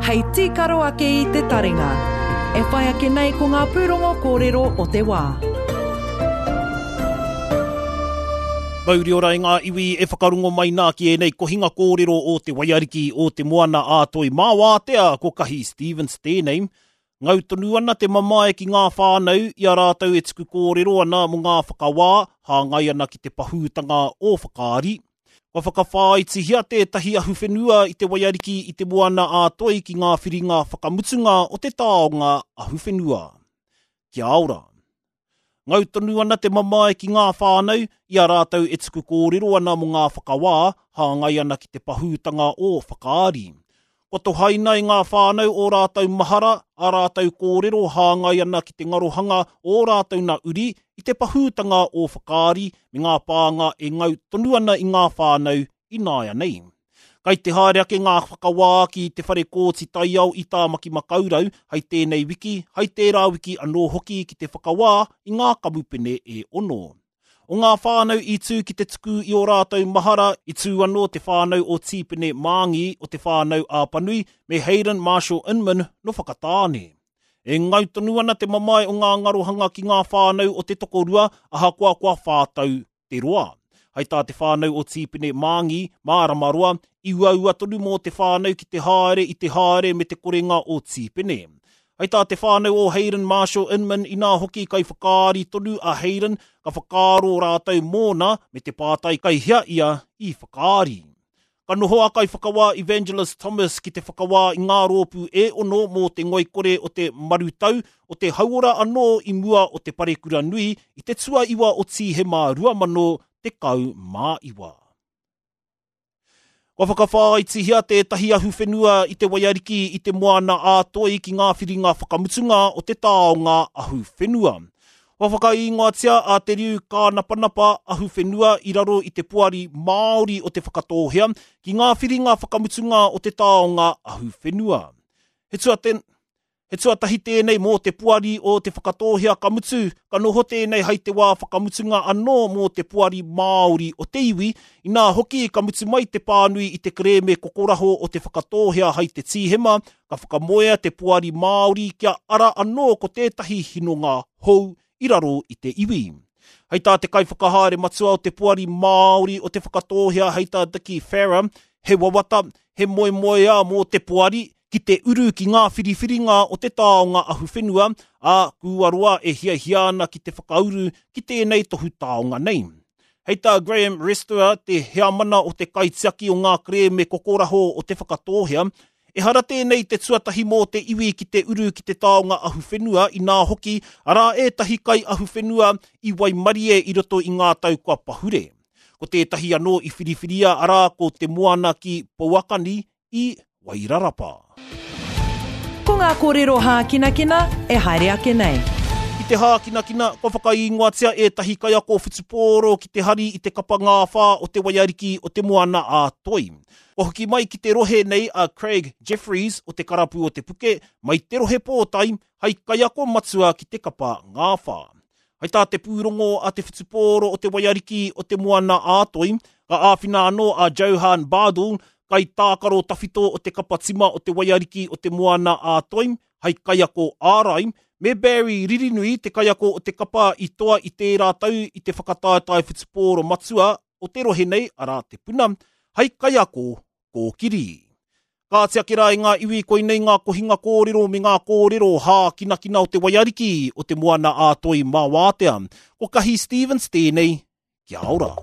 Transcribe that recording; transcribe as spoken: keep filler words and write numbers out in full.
Hei tīkaro ake i te taringa. E whai ake nei ko ngā pūrongo kōrero o te wā. Mauri ora i ngā iwi e whakarungo mai nā ki ēnei kohinga kōrero o te Waiariki o te Moana a Toi Māwātea ko Kahi Stevens tēnei. Ngau tonu ana te mamae ki ngā whānau i a rātou e tuku kōrero ana mō ngā whakawā hāngai ana ki te pahūtanga o Whakaari. Kua whakawhāitihia tētahi ahuwhenua i te Waiariki i te Moana a Toi ki ngā whiringa whakamutunga o te taonga ahuwhenua. Kia ora. Ngau tonu ana te mamae ki ngā whānau i a rātou e tuku kōrero ana mō ngā whakawā hāngai ana ki te pahūtanga o Whakaari. Kua tohaina i ngā whānau o rātou mahara, a rātou kōrero hāngai ana ki te ngarohanga o rātou na uri i te pahūtanga o Whakaari me ngā pānga e ngau tonu ana i ngā whānau i nāia nei. Kai te haere ake ngā whakawā ki te whare kōti taiao i Tāmaki Makaurau hai tēnei wiki, hai tērā wiki anō hoki ki te whakawā i ngā kamupene e ono. O ngā whānau i tū ki te tuku i o rātou mahara, i tū anō te whānau o Tīpene Māngi o te whānau Āpanui me Hayden Marshall Inman no Whakatāne. E ngau tonu ana te mamae o ngā ngarohanga ki ngā whānau o te tokorua ahakoa kua whātau te roa. Hai tā te whānau o Tīpene Māngi, Mārama Roa, i uaua tonu mō te whānau ki te haere i te haere me te korenga o Tīpene. Hai tā te whānau o Hayden Marshall Inman inā hoki kai whakaari tonu a Hayden ka whakaaro rātou mōna me te pātai kai hea ia i whakaari. Ka noho a kai whakawā Evangelist Thomas ki te whakawā i ngā rōpū e ono mō te ngoikore o te marutau o te hauora anō i mua o te parekura nui i te tuaiwa o Tīhema rua mano tekau mā iwa. Kua whakawhāitihia tētahi ahuwhenua i te Waiariki i te Moana a Toi ki ngā whiringa whakamutunga o te taonga ahuwhenua. Kua whakaingoatia a Te Riu Kānapanapa ahuwhenua i raro i te poari Māori o te Whakatōhea ki ngā whiringa whakamutunga o te taonga ahuwhenua. He tuate, He tuatahi tēnei mō te poari o te Whakatōhea ka mutu, ka noho tēnei hai te wā whakamutunga anō mō te poari Māori o te iwi, inā hoki ka mutu mai te pānui i te kerēme kokoraho o te Whakatōhea hai te Tīhema, ka whakamoea te poari Māori kia ara anō ko tētahi hinonga hou i raro i te iwi. Hei tā te kaiwhakahaere matua o te poari Māori o te Whakatōhea hei tā Dickie Farah, he wawata, he moemoeā mō te poari, ki te uru ki ngā whiriwhiringa o te taonga ahuwhenua, a kua roa e hiahia ana ki te whakauru ki tēnei tohu taonga nei. Hei tā Graham Restera, te heamana o te kaitiaki o ngā kerēme kokoraho o te Whakatōhea, ehara tēnei te tuatahi mō te iwi ki te uru ki te taonga ahuwhenua inā hoki, arā ētahi kai ahuwhenua i waimarie i roto i ngā tau kua pahure. Ko tētahi anō i whiriwhiria arā ko te moana ki Pouakani i Wairarapa. Ko ngā kōrero hākinakina e haere ake nei. I te hākinakina, kua whakaingoatia ētahi kaiako whutupōro ki te hari i te kapa ngāwhā o te Waiariki o te Moana a Toi. Kua hoki mai ki te rohe nei a Craig Jeffries o te karapu o Te Puke, mai te rohe pōtai, hai kaiako matua ki te kapa ngāwhā. Hai tā te pūrongo a te whutupōro o te Waiariki o te Moana a Toi, ka āwhina anō a Johan Bardul, kai tākaro tawhito o te kapa tima o te Waiariki o te Moana a Toi, hai kaiako ārai, me Barry Ririnui te kaiako o te kapa i toa i tērā tau i te whakataetae whutupōro matua o te rohe nei, arā te puna, hai kaiako kōkiri. Ka ake rā i ngā iwi koinei ngā kohinga kōrero me ngā kōrero hākinakina o te Waiariki o te Moana a Toi Māwātea. Ko Kahi Stevens tēnei, kia ora.